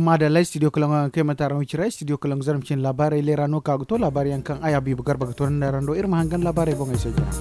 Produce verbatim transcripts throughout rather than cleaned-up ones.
Maadalla studio kalaŋo yaŋ kaŋ ay manti araŋ wicira studio kalaŋo zarma cine laabaarey leera no ka ga to laabaari yaŋ kaŋ ay habiibu garba ga to nda rando iri ma hangan laabaarey boŋey se jina.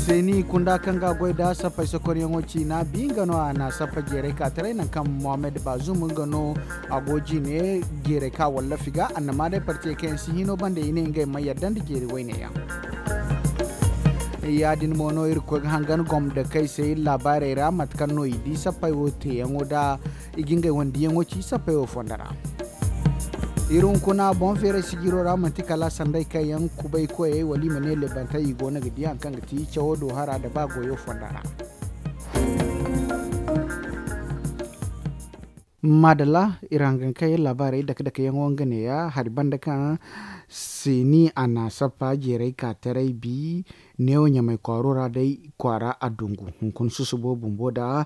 Seeni kunda kaŋ ga goy nda sappey sokoryaŋo ciina bi nga no a na sappa jeeray ka taray nangu kaŋ mohammed baazum nga no a go jine jeeray ka wallafi ga annama day partiyey kaŋ yaŋ si hino banda i ne ngey ma yadda nda jeeri wayne yaŋ. Ya- din mo no iri ga koy ga hangan gomdakey se iri laabaarey ra mate kaŋ no i di sappey wo teeyaŋo nda i ga ngey wane diyaŋo ci sappey wo fonda ra. Iri hunkuna boŋ feeray sijiro ra manti kala sanday kaŋ yaŋ kubay koyey wala i ma ne lebantey i go no ga di hari kaŋ ga ti cawo do hara nda ba goyo fonda ra. Maadalla, iri hangan kaŋ yaŋ laabaarey dake dake yaŋo nga neeya hari banda kaŋ seeni a na sappa jeeray ka taray bi neewo ɲamay kwaaro ra day kwaara a dungu hunkuna susubo bumbo nda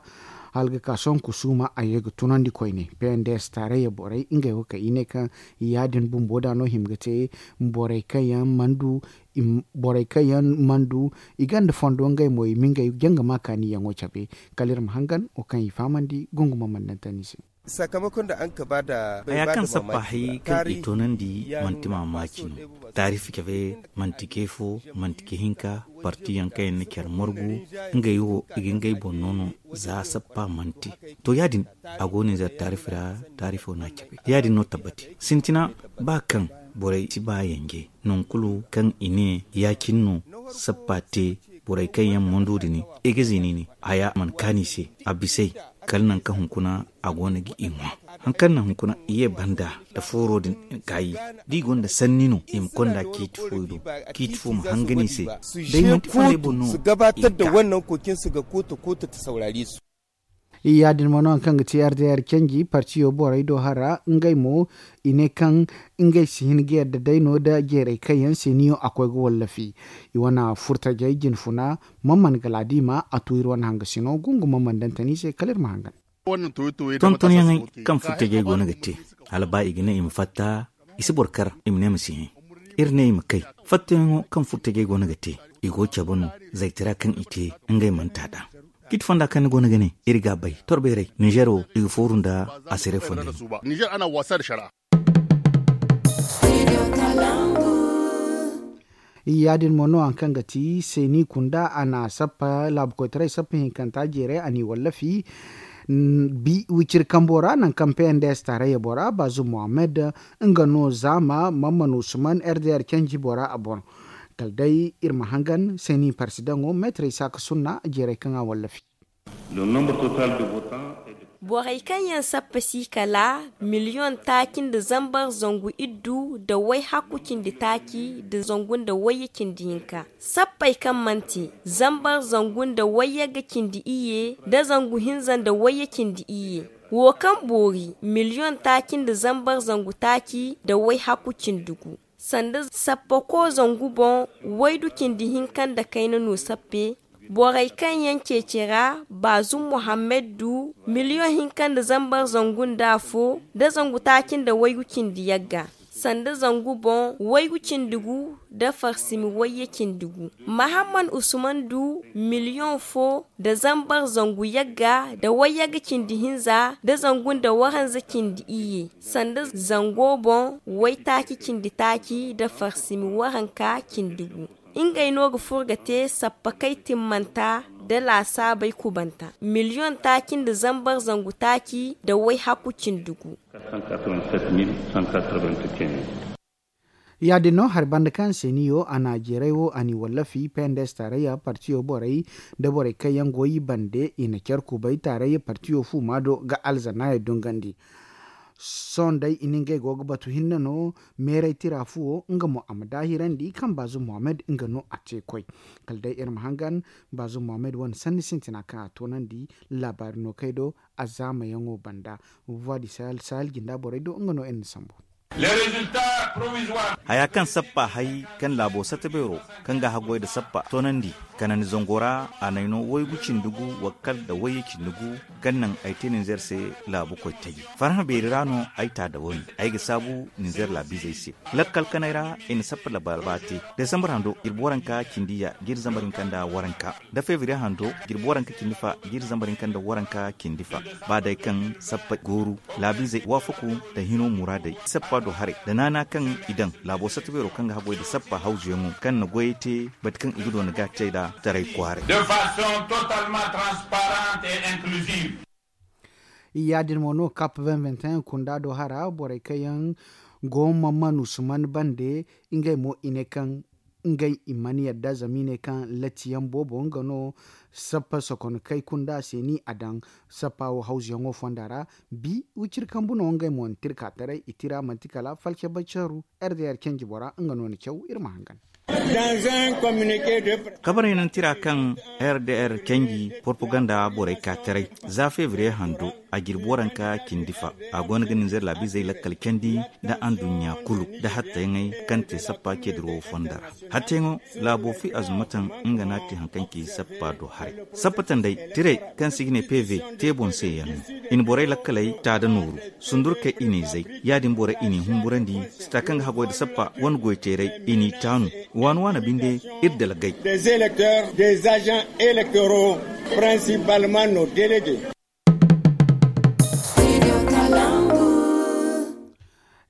hala ga ka sohõ kusuuma a ye ga tunandi koyne. P n d s taarayya borey ngey wo kaŋ i ne kaŋ ya- din bumbo da no hima ga te borey kaŋ yaŋ mana du i ganda fondo ngey mo i ma ngey janga ma kaani yaŋo cabe. Kala iri ma hangan wo kaŋ i fahamandi gunguma mana daŋ tani se. Haya kaŋ sappa hayey kaŋ i toonandi manti maamaaci no. Taarifi cabe manti ke fo, manti ke hinka. Parti yaŋ kaŋ yaŋ na care margu ngey wo i ga ngey boŋ no no za sappa manti. To ya- din a go no i zar taarifi ra. Taarifo no a cabe ya- din no tabbati sintina ba kaŋ borey si ba yanje. Nangu kulu kaŋ i ne ya- cine no sappa te borey kaŋ yaŋ mandu din i ga zini ne haya mana kaani se a bisay. Kala nangu kaŋ hunkuna a go no ga i ŋwa hari kaŋ na hunkuna i ye banda nda fooro din kaayi da i gonda sanni no i ma konda ciiti fo i do ciiti fo ma hangan i se. Day manti fondo ay boŋ no i ga gabatar da wannan kokinsu ga koota koota ta saurare su. Ya- din mo no hari kaŋ ga ti r d r canji partiyo borey do hara ngey mo i ne kaŋ ngey si hin ga yadda day no nda jeeray kaŋ yaŋ se niyo a koy ga wallafi. I wane furtajey jinfuna man man galaadima a tu iri wane hangasino gungu man man daŋ tani se kala iri ma hangan. Tontonyaŋey kaŋ furtajey go no ga te hala ba i ga ne i ma fatta i si boro kar i ma ne ma si hẽ. Iri ne i ma kay fattoyaŋo kaŋ furtajey go no ga te i go cabe no. Zaytara kaŋ i te ngey mana ta d'a. Ciiti fonda kaŋ ni go no ga ne iri ga a bay torbeeray ninzeer wo i ga fooru nda asire fonda. Ya- din mo no hari kaŋ ga ti seeni kunda a na sappa laabu koytaray sappa hinkanta jeeray a n'i wallafi. Bi wiciri kambo ra nangu kaŋ p n d s taarayya bora baazum mohammed nga no zaama mamman usman r d r canji bora a boŋ. Kala day iri ma hangan seeni parsidaŋo meetarey saaka sunna jeeray kaŋ a wallafi. Borey kaŋ yaŋ sappa si kala miliyoŋ taaci nda zambar zangu iddu nda way hakku cindi taaci nda zangu nda wayye cindi hinka. Sappey kaŋ manti zambar zangu nda wayyagga cindi iyye nda zangu hinza nda wayye cindi iyye. Wo kaŋ boori miliyoŋ taaci nda zambar zangu taaci nda way hakku cindi gu. Sanda sappako zangu boŋ waydu cindi hinka nda kayna no sappe. Borey kaŋ yaŋ ceeci ra baazum mohammed du miliyoŋ hinka nda zambar zangu nda afo nda zangu taaci nda waygu cindi yagga. Sanda zangu boŋ waygu cindi gu nda farsimi wayye cindi gu. Mahamman usman du miliyoŋ fo nda zambar zangu yagga nda wayyagga cindi hinza nda zangu nda waranza cindi iyye. Sanda zango boŋ waytaaci cindi taaci nda farsimi waranka cindi gu. Ngey no ga furo ga te sappakey timmanta nda laasaabey kubanta miliyoŋ taaci nda zambar zangu taaci nda way hakku cindi gu. Ya- din no hari banda kaŋ seeniyo a na jeeray wo a n'i wallafi p n d s taarayya partiyo borey nda borey kaŋ yaŋ go i bande i na care kubay taarayya partiyo fuuma do ga alzanaayo dungandi. Sohõ day i na ngey go ga batu hinne no meeray tira fuwo nga mo a ma daahirandi kaŋ baazum mohammed nga no a te koy. Kala day iri ma hangan baazum mohammed wane sanni sintina kaŋ a toonandi laabaari no kay do a zaamayaŋo banda. Voix du sahel sahel jinda borey do nga no iri na sambu. Haya kaŋ sappa hay kaŋ laabo sata beero kaŋ ga haggoy nda sappa toonandi kanandi zango ra, a n'ay no waygu cindi gu, wakkal nda wayye cindi gu, kaŋ naŋ ay te ninzeer se laabu koy taji. Farhã beeri ra no ay ta da woone. Ay ga saabu ninzeer laabiizey se. Lakkal kanay ra i na sappa labalaba te. Desambar hando jirbi waranka cindi ya, jiiri zambar hinka nda waranka, da febriye hando jirbi waranka cindi fa, jiiri zambar hinka nda waranka cindi fa. Ba day kaŋ sappa gooru, laabiizey waafaku nda hino muraadey sappa do haray nda naana kaŋ i daŋ laabo sata beero kaŋ ga haggoy nda sappa hawzuyaŋo kaŋ na goyey te, bati kaŋ i ga doona ga te nda taray kwaaray. De façon totalement transparente et inclusive. Yaadin mo no kap vingt vingt et un kunda do hara borey kaŋ yaŋ go ma manusuman bande. Ngey mo i ne kaŋ ngey i mana yadda zama i ne kaŋ latiyaŋ boobo nga no sappa sokono kay kunda se ni a daŋ. Sappa wo hawzuyaŋo fonda ra bi wiciri kambu no ngey mo na tirka taray i tira manti kala falce bacaru. Rdr canji bora nga no na caw iri ma hangan. Kabarey naŋ tira kaŋ rdr canji propaganda borey ka taray za febriye hando a jirbi waranka cindi fa. A go no ga ninzeer laabiizey lakkal candi nda anduɲɲa kulu nda hattayaŋey kaŋ te sappa ceediro fonda ra. Hattayaŋo laabo fi azumataŋ nga no a te haŋ kaŋ ci sappa do haray. Sappa tanday tirey kaŋ se i ga ne pv te boŋ se yaŋ no i na borey lakkaley ta da nooru. Sundurkey i n'i zay. Yaadin borey i n'i humburandi. Sita kaŋ ga haggoy nda sappa wane goyteerey i n'i taanu. Waani waani binde iri dalgay. Des électeurs, des agents électoraux, principalement nos délégués.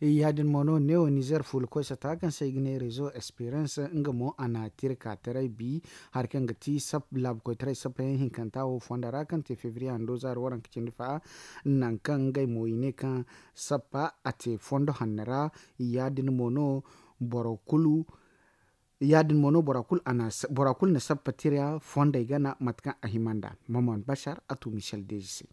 Yaadin mo no neewo nizer fuula koy sata kaŋ se i ga ne rezo esperance nga mo a na tirka taray bi hari kaŋ ga ti laabu koytaray sappa yaŋ hinkanta wo fonda ra kaŋ te febriye hando zaari waranka cindi fa. Nangu kaŋ ngey mo i ne kaŋ sappa a te fondo hanno ra. Yaadin mo no boro kulu yaadin mo no bora kulu na sappa tira fondey gana mate kaŋ a hima nd'a. Maman bashar a tu michel deji se.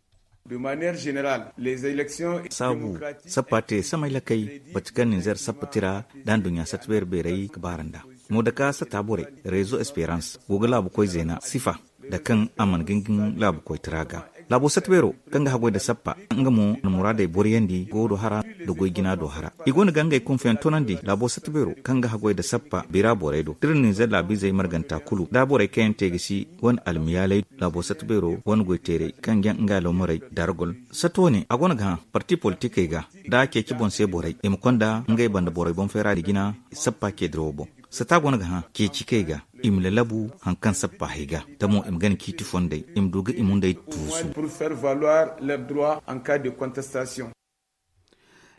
Saabu sappa te samay lakay bati kaŋ ninzeer sappa tira da nduɲɲa sata beeri beerey ga baara nd'a. Mo da ka sata borey rezo esperans go ga laabu koy zeena sifa da kaŋ a mana gingin laabu koytara ga. Laabo sata beero kaŋ ga haggoy nda sappa nga mo na muraadey boriyandi go do hara nda goy jina do hara. I go no ga ngey kunfayaŋ toonandi laabo sata beero kaŋ ga haggoy nda sappa bira borey do da iri ninzeer laabiizey marganta kulu da borey kaŋ yaŋ te ga si wane almiyaaley laabo sata beero wane goyteerey kaŋ ga nga alawmarey dargol. Sata wane a go no ga hã parti politikey ga da a ceeci boŋ se borey i ma konda ngey banda borey boŋ feera da jina sappa ceedirawo boŋ. Sata go no ga hã ceeci kay ga i ma lalabu haŋ kaŋ sappa hay ga da mo i ma gana ciiti fondey i ma du ga i mundey tuusu.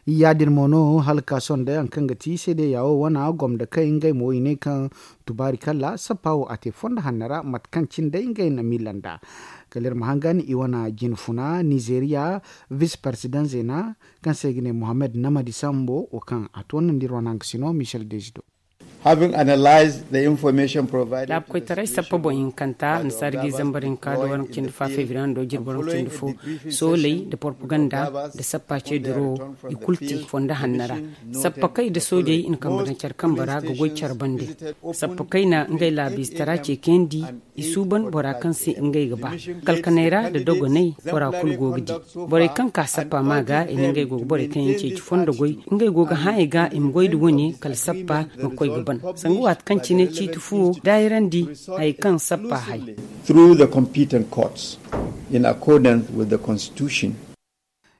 Yaadin mo no hala ka sohõ day haŋ kaŋ ga ti seedeya wo wana gomda kay ngey mo i ne kaŋ tubaari kala sappa wo a te fondo hanno ra mate kaŋ cine day ngey na miila nd'a. Kala iri ma hangan i wana jinfuna nizeeriya vis parsidaŋ zeena kaŋ se i ga ne mohammed namadi sambo wo kaŋ a toonandi iri wane haŋ ga sino michel dezido. Laabu koytaray sappa boŋ hinkanta nda saara ga i zambar hinka nda waranka cindi fa febriye hando jirbi waranka cindi fo. Sooley nda porpaganda nda sappa ceediro i kulu te fondo hanno ra. Sappa kay nda soojey i na kambe daŋ care kambe ra ga goy care bande. Sappa kay na ngey laabiizatara ceekayandi. I suuban bora kaŋ se ngey ga ba kalkaney ra nda dogoney bora kulu go ga di. Borey kaŋ ka sappa ma ga i na ngey go ga borey kaŋ yaŋ ceeci fondo goy ngey go ga hã i ga i ma goy nda wane kala sappa ma koy ga ban sanga waati kaŋ cine ciiti fuwo daayirandi hayey kaŋ sappa hay. Through the competent courts in accordance with the constitution.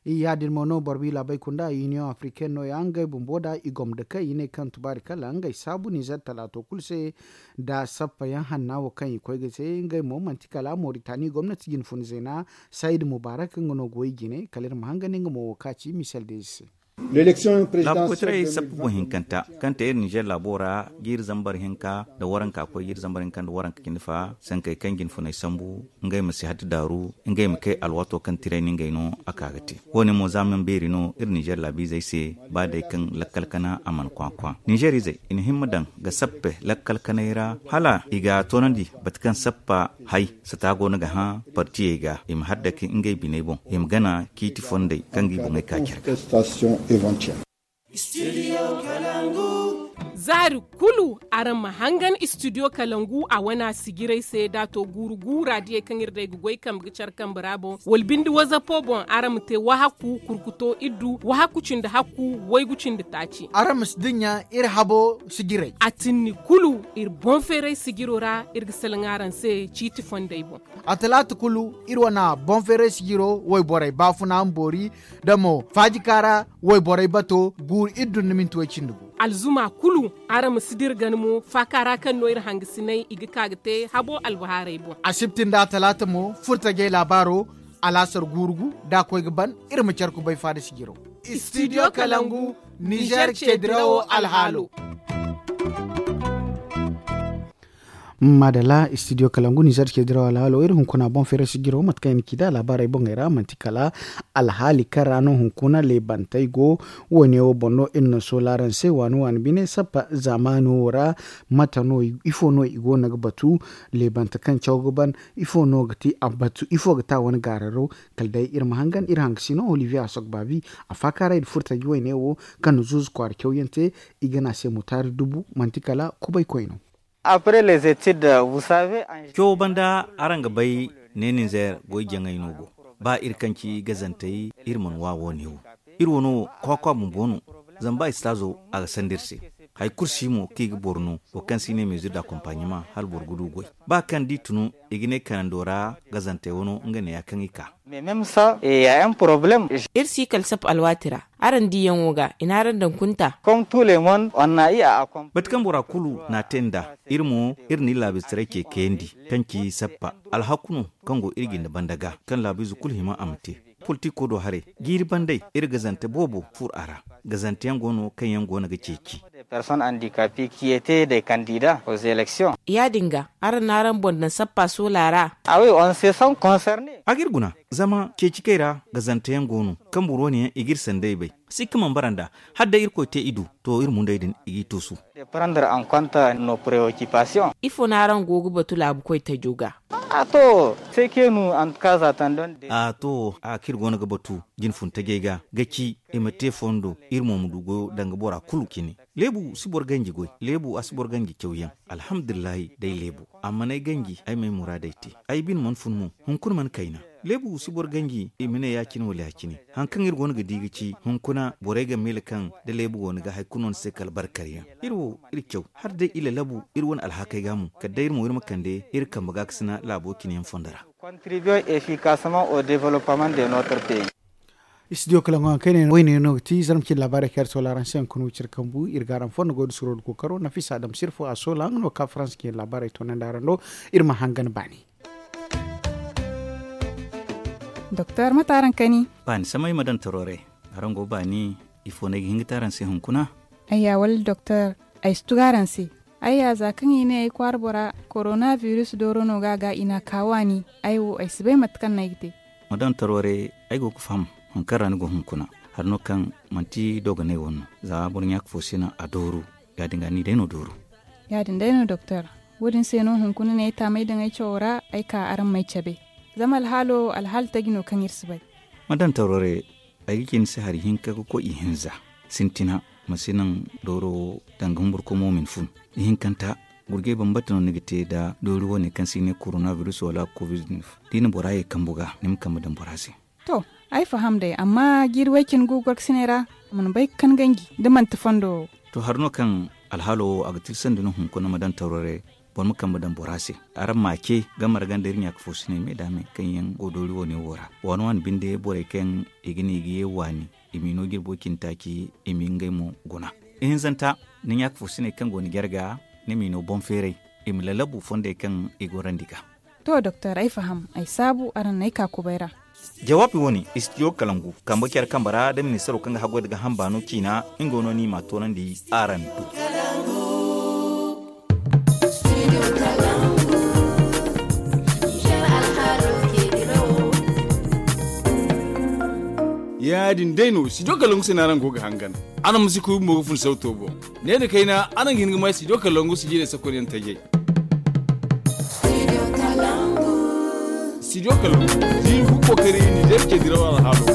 Yaadin mo no boro bi laabey kunda union africaine no- ya ngey bumbo da i gomda kay i ne kaŋ tubaari kala ngey saabu nizer talaato kulu se. Da sappa yaŋ hanna wo kaŋ i koy ga te ngey mo manti kala moritani gomnati jinfuna zeena sayid mubarak nga no ga way jine kala iri ma hangandi nga mo wo ka ci misel deezi se. Laabu koytaray sappa boŋ hinkanta kaŋ te iri nizer laabo ra jiiri zambar hinka nda waranka koy jiiri zambar hinka nda waranka cindi fa sankey kaŋ jinfuney sambu ngey ma si hatti daaru ngey ma kay alwaato kaŋ tiray no ngey no a ka ga te. Wo- ne mo za meŋ beeri no iri nizer laabiizey se ba day kaŋ lakkal kana a mana kwakwa nizer izey i na himma daŋ ga sappe lakkal kanay ra hala i ga toonandi bati kaŋ sappa hay sata go no ga hã partiyey ga i ma haddaki ngey biney boŋ i ma gana ciiti fondey kaŋ ga i boŋey ka care ga. Zaari kulu araŋ ma hangan istidiyo kalangu a wana sijirey se da a to guuru guura diyey kaŋ iri day ga goy kambe ga care kambe ra boŋ wala binde wazapo boŋ araŋ ma te wahakku kurkuto iddu wahakku cindi hakku waygu cindi taaci. Araŋ ma si dinya iri habo sijirey a tinni kulu iri boŋ feeray sijiro ra. Iri ga salaŋ araŋ se ciiti fondey boŋ. A talaata kulu iri wana boŋ feeray sijiro wayborey baafuna ma boori da mo faajika ra wayborey bato guuru iddu nda minti way cindi gu. Alzuma kulu araŋ ma si dira gana mo faaka ra kaŋ no iri hangasiney i ga ka ga te habo albahaarey boŋ. Asibti nda a talaata mo furtajey laabaaro alaasar guuru gu da a koy ga ban. Iri ma care kubay faada sijiro. Istidiyo kalangu nizer ceedirawo alhaalo. Maadalla istidiyo kalangu nizer ceedirawo alhaalo iri hunkuna boŋ feere sijiro mate kaŋ i na ci nd'a laabaarey boŋey ra manti kala alhaali kaŋ ra no hunkuna leebantey go. Wo- ne wo boŋ no iri na soola araŋ se waani waani bine sappa zaamaani wo ra. Mate no ifo no i go no ga batu leebante kaŋ caw ga ban? Ifo no ga ti a batu ifo ga ti a wane gaararo? Kala day iri ma hangan iri hangasino olivier asok baabi a faakaaray nda furtaji wayne wo kaŋ na zuuzu kwaara cawyaŋ te. I ga ne a se mutaari dubu manti kala kubaykoy no. Après les études vous savez. Cawo banda araŋ ga bay ne ninzeer goy jaŋay no go. Ba iri kaŋ ci gazantey iri mana wa wo- ne wo iri wano kwakwa bumbo no. Zama ba istaazo a ga sanda iri se hari kulu si mo kaŋ i ga boro no wo kaŋ se i ne meezir da akompaɲama hala boro ga du goy. Ba kaŋ da i tunu i ga ne kanando ra gazantey wano nga ne ya kaŋ i ka. Iri si kala sap alwaati ra. Araŋ diyaŋo ga i na araŋ daŋ kunta. Bate kaŋ bora kulu na a te nd'a iri mo iri na iri laabistaray ce kayandi kaŋ ci sappa alhaku no kaŋ go iri jinde banda ga kaŋ laabiize kulu hima a ma te. Politiko do haray jiiri bandey iri gazante boobo fur a ra. Gazanteyaŋ go no kaŋ yaŋ go no ga ceeci. Ya- din ga araŋ na araŋ boŋ daŋ sappa soola ra. A ga iri guna zama ceeci kay ra gazanteyaŋ go no kaŋ boro wane yaŋ i ga iri sanday bay. Sikka mana bara nd'a hala day irkoy te i du to iri mundey din i g'i tuusu. Ifo no araŋ go ga batu laabu koy tajo ga? A to a kaŋ iri go no ga batu jine fun tajey ga ga ci i ma te fondo iri mo ma du goyo danga bora kulu cine. Leebu si boro ganji goy. Leebu a si boro ganji cawyaŋ. Alhamdulillahi day leebu. Amma n'ay ganji ay m'ay muraadey te. Ay bine mana fun mo. Hunkuna mana kayna. Leebu si boro ganji i ma ne ya- cine wala ya- cine. Hari kaŋ iri go no ga di ga ci hunkuna borey ga miila kaŋ da leebu go no ga hari kulu no ni se kala barkaryaŋ. Iri wo iri caw hala day i lalabu iri wane alhakey ga mo kala day iri mo iri ma kande iri kambe gaakasina laabo cine yaŋ fondo ra. Istidiyo kalaŋo haŋ kaŋ ay ne wayne no ga ti zarma cine laabaarey kaŋ iri soola araŋ se hunkuna wiciri kambu iri ga araŋ fondo goy da suro da kookaro nafisa adam sirfo a soola nga no ga ka faransa cine laabaarey toonandi araŋ do. Iri ma hangan baani. Doktor mate araŋ kani? Baani samay ma daŋ taro re. Araŋ go baani? Ifo no ay ga hin ga te araŋ se hunkuna? Ayya wala doktor, ay si tugu araŋ se. Ayya za kaŋ i ne ay kwaara bora korona biris dooro no ga a ga i n'a ka waani. Ay wo ay si bay mate kaŋ no ay ga te. Ma daŋ taro re. Ay go ga faham hari kaŋ ra ni go hunkuna. Hari no kaŋ manti dooganay wane no. Za boro ɲaaka fo si naŋ a dooru. Ya- din ga ni day no dooru. Ya- din day no doktor. Wo- din se no hunkuna no ay taamay daŋ ay cawo ra ay ka araŋ m'ay cabe. Zama alhaalo alhaali taji no kaŋ iri si bay. Ma daŋ taro re. Ay ga ci ni se hari hinka ga koy ihinza. Sintina ma si naŋ dooro wo danga humburkomo ma ni fun. Ihinkanta gurjay bambata no ni ga te nda doori wane kaŋ se i ne koronabiris wala covid-19. Da i na bora ye kambu ga ni ma kambe daŋ bora se. To, ay faham day amma jiiri way cine gu gorkasiney ra a mana bay ga kan ganji da manti fondo wo. To hari no kaŋ alhaalo wo a ga tilsandi no hunkuna ma daŋ taro re. Boro ma kambe daŋ bora se. Araŋ ma a ce game ra ganda iri ɲaaka fo siney me da me kaŋ yaŋ go doori wane wo ra waani waani binde borey kaŋ i ga ne i ga ye waani i m'i no jirbo cindi taaci i m'i ngey mo guna. Ihinzanta ni ɲaaka fo siney kaŋ go ni jarga ni m'i no boŋ feeray i ma lalabu fondey kaŋ i gorandi ga. To doktor ay faham ay saabu araŋ n'ay ka kubay ra. Jawaabi wane istidiyo kalangu kambe care kambe ra da ministaro kaŋ ga haggoy nda gaaham baano ciina. Nga no ni m'a toonandi araŋ do. Ya- din day no studio kalangu se no araŋ go ga hangan. Araŋ ma si kuubi mo ga fun sawto boŋ. Ne nda kayna araŋ ga hin ga may studio kalangu sijirey sakonyaŋ tajey. Studio kalangu jiiri fu kookari nizeer cediraw alhaalo.